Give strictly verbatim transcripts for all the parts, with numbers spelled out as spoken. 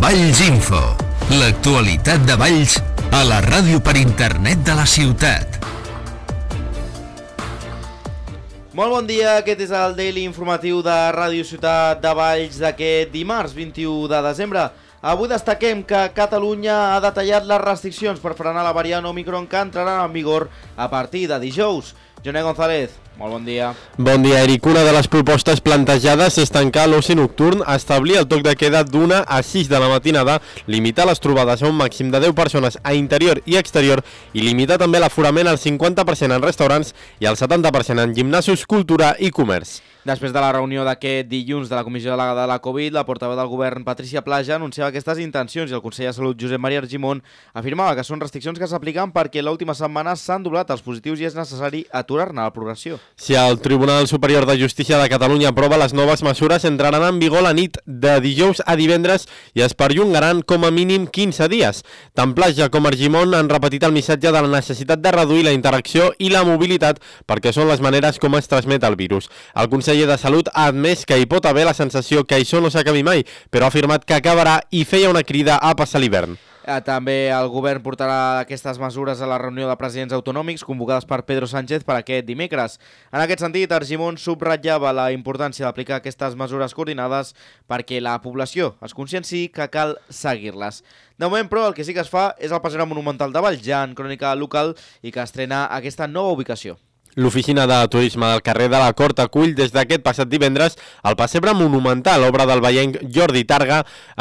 Valls Info, l'actualitat de Valls a la ràdio per internet de la ciutat. Molt bon dia, aquest és el Daily Informatiu de Ràdio Ciutat de Valls d'aquest dimarts vint-i-u de desembre. Avui destaquem que Catalunya ha detallat les restriccions per frenar la variant Omicron que entrarà en vigor a partir de dijous. Joné González, molt bon dia. Bon dia, Eric. Una de les propostes plantejades és tancar l'oci nocturn, establir el toc de queda d'una a sis de la matinada, limitar les trobades a un màxim de deu persones a interior i exterior i limitar també l'aforament al cinquanta per cent en restaurants i al setanta per cent en gimnasos, cultura i comerç. Després de la reunió d'aquest dilluns de la Comissió Delegada de la Covid, la portaveu del govern, Patricia Plaja, anunciava aquestes intencions i el conseller de Salut, Josep Maria Argimon, afirmava que són restriccions que s'apliquen perquè l'última setmana s'han doblat els positius i és necessari aturar-ne la progressió. Si el Tribunal Superior de Justícia de Catalunya aprova les noves mesures, entraran en vigor la nit de dijous a divendres i es perllongaran com a mínim quinze dies. Tant Plaja com Argimon han repetit el missatge de la necessitat de reduir la interacció i la mobilitat perquè són les maneres com es transmet el virus. El conseller de Salut ha admès que hi pot haver la sensació que això no s'acabi mai, però ha afirmat que acabarà i feia una crida a passar l'hivern. També el govern portarà aquestes mesures a la reunió de presidents autonòmics convocades per Pedro Sánchez per aquest dimecres. En aquest sentit, Argimon subratllava la importància d'aplicar aquestes mesures coordinades perquè la població es conscienci que cal seguir-les. De moment, però, el que sí que es fa és el Passeig Monumental de Valls, ja en crònica local, i que estrena aquesta nova ubicació. L'oficina de turisme del carrer de la Cort acull des d'aquest passat divendres el Pessebre Monumental, obra del vallenc Jordi Targa.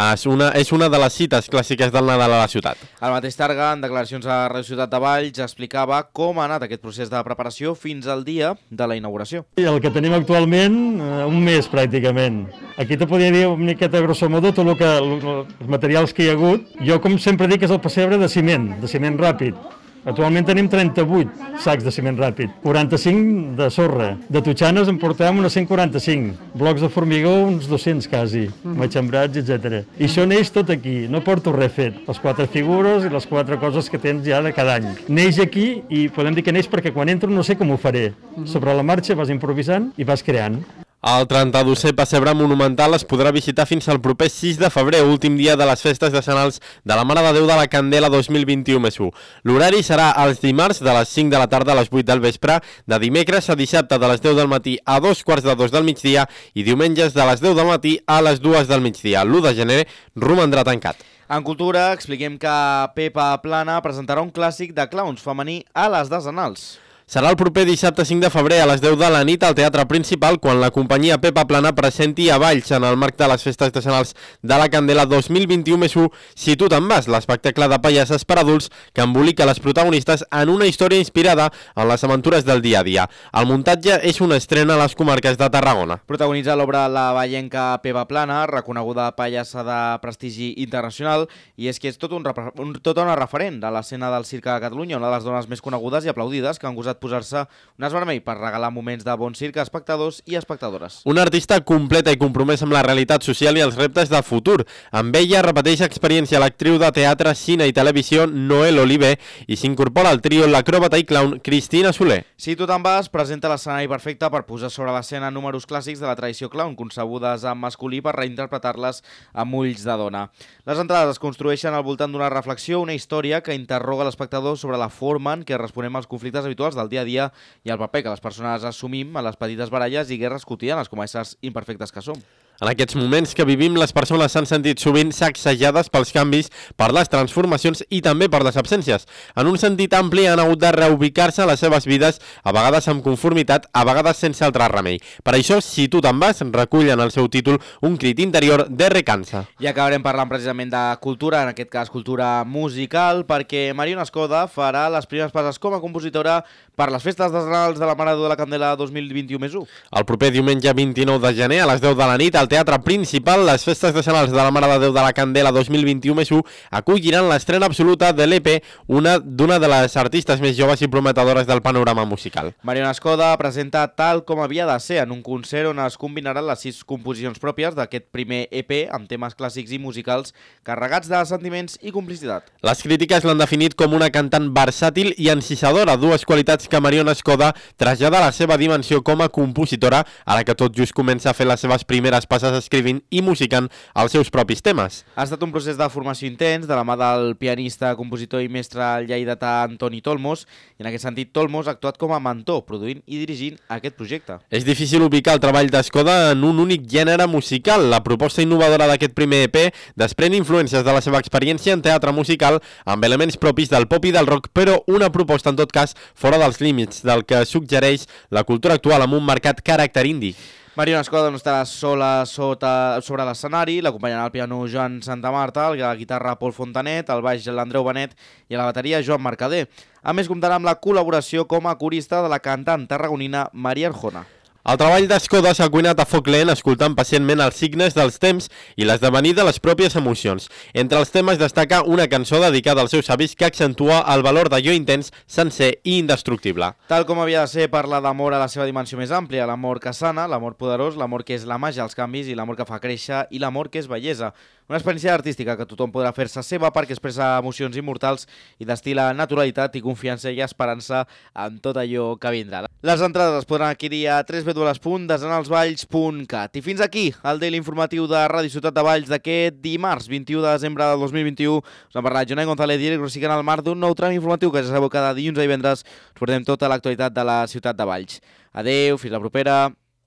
És una, és una de les cites clàssiques del Nadal a la ciutat. El mateix Targa, en declaracions a Ràdio Ciutat de Valls, explicava com ha anat aquest procés de preparació fins al dia de la inauguració. El que tenim actualment, un mes pràcticament. Aquí te podria dir una miqueta grosso modo tot el que, els materials que hi ha hagut. Jo, com sempre dic, és el pessebre de ciment, de ciment ràpid. Actualment tenim trenta-vuit sacs de ciment ràpid, quaranta-cinc de sorra, de totxanes en portem unes cent quaranta-cinc, blocs de formigó uns dos-cents quasi, matxembrats, etcètera. I això neix tot aquí, no porto res fet, les quatre figures i les quatre coses que tens ja de cada any. Neix aquí i podem dir que neix perquè quan entro no sé com ho faré. Sobre la marxa vas improvisant i vas creant. El trenta-dosè Pessebre Monumental es podrà visitar fins al proper sis de febrer, últim dia de les festes decenals de la Mare de Déu de la Candela dos mil vint-i-u més u. L'horari serà els dimarts de les cinc de la tarda a les vuit del vespre, de dimecres a dissabte de les deu del matí a dos quarts de dos del migdia i diumenges de les deu del matí a les dues del migdia. l'u de gener romandrà tancat. En cultura expliquem que Pepa Plana presentarà un clàssic de clowns femení a les Decenals. Serà el proper dissabte cinc de febrer a les deu de la nit al Teatre Principal quan la companyia Pepa Plana presenti a Valls en el marc de les festes decenals de la Candela dos mil vint-i-u més u Si tu te'n vas, l'espectacle de pallasses per adults que embolica les protagonistes en una història inspirada en les aventures del dia a dia. El muntatge és una estrena a les comarques de Tarragona. Protagonitza l'obra la vallenca Pepa Plana, reconeguda pallassa de prestigi internacional, i és que és tot, un, un, tot una referent de l'escena del circ a Catalunya, una de les dones més conegudes i aplaudides que han gosat posar-se un as vermell per regalar moments de bon circ a espectadors i espectadores. Una artista completa i compromesa amb la realitat social i els reptes de futur. Amb ella repeteix experiència l'actriu de teatre, cine i televisió Noel Oliver i s'incorpora al trio l'acròbata i clown Cristina Soler. Si tu te'n vas, presenta l'escenari perfecte per posar sobre l'escena números clàssics de la tradició clown, concebudes en masculí per reinterpretar-les amb ulls de dona. Les entrades es construeixen al voltant d'una reflexió, una història que interroga l'espectador sobre la forma en què responem als conflictes habituals del dia a dia i el paper que les persones assumim a les petites baralles i guerres quotidianes com a éssers imperfectes que som. En aquests moments que vivim, les persones s'han sentit sovint sacsejades pels canvis, per les transformacions i també per les absències. En un sentit ampli han hagut de reubicar-se a les seves vides, a vegades amb conformitat, a vegades sense altre remei. Per això, Si tu te'n vas, recull en el seu títol un crit interior de recança. I acabarem parlant precisament de cultura, en aquest cas cultura musical, perquè Mariona Escoda farà les primeres passes com a compositora per les festes decenals de la Mare de Déu de la Candela dos mil vint-i-u més u. El proper diumenge vint-i-nou de gener a les deu de la nit, al Teatre Principal, les festes decenals de la Mare de Déu de la Candela dos mil vint-i-u més u acolliran l'estrena absoluta de l'E P, una d'una de les artistes més joves i prometedores del panorama musical. Mariona Escoda presenta Tal com havia de ser, en un concert on es combinaran les sis composicions pròpies d'aquest primer E P amb temes clàssics i musicals carregats de sentiments i complicitat. Les crítiques l'han definit com una cantant versàtil i encisadora, dues qualitats que Mariona Escoda trasllada a la seva dimensió com a compositora, ara que tot just comença a fer les seves primeres passes passes escrivint i musicant els seus propis temes. Ha estat un procés de formació intens de la mà del pianista, compositor i mestre lleidatà Antoni Tolmos, i en aquest sentit Tolmos ha actuat com a mentor, produint i dirigint aquest projecte. És difícil ubicar el treball d'Escoda en un únic gènere musical. La proposta innovadora d'aquest primer E P desprèn influències de la seva experiència en teatre musical amb elements propis del pop i del rock, però una proposta en tot cas fora dels límits del que suggereix la cultura actual amb un marcat caràcter indie. Mariona Escoda no estarà sola sota, sobre l'escenari, l'acompanyarà al piano Joan Santamarta, a la guitarra Pol Fontanet, al baix l'Andreu Benet i a la bateria Joan Mercader. A més, comptarà amb la col·laboració com a corista de la cantant tarragonina Maria Arjona. El treball d'Escoda s'ha cuinat a foc lent escoltant pacientment els signes dels temps i l'esdevenir de les pròpies emocions. Entre els temes destaca una cançó dedicada als seus avis que accentua el valor d'allò intens, sencer i indestructible. Tal com havia de ser, parla d'amor a la seva dimensió més àmplia, l'amor que sana, l'amor poderós, l'amor que és la màgia als canvis i l'amor que fa créixer i l'amor que és bellesa. Una experiència artística que tothom podrà fer-se seva perquè expressa emocions immortals i destila naturalitat i confiança i esperança en tot allò que vindrà. Les entrades es podran adquirir a w w w punt desenalsvalls punt cat. I fins aquí el daily informatiu de Ràdio Ciutat de Valls d'aquest dimarts vint-i-u de desembre del dos mil vint-i-u. Us ha parlat Jonai González, director i canal Mar d'un nou tram informatiu que ja sabeu cada dilluns i divendres us portem tota l'actualitat de la Ciutat de Valls. Adeu, fins la propera.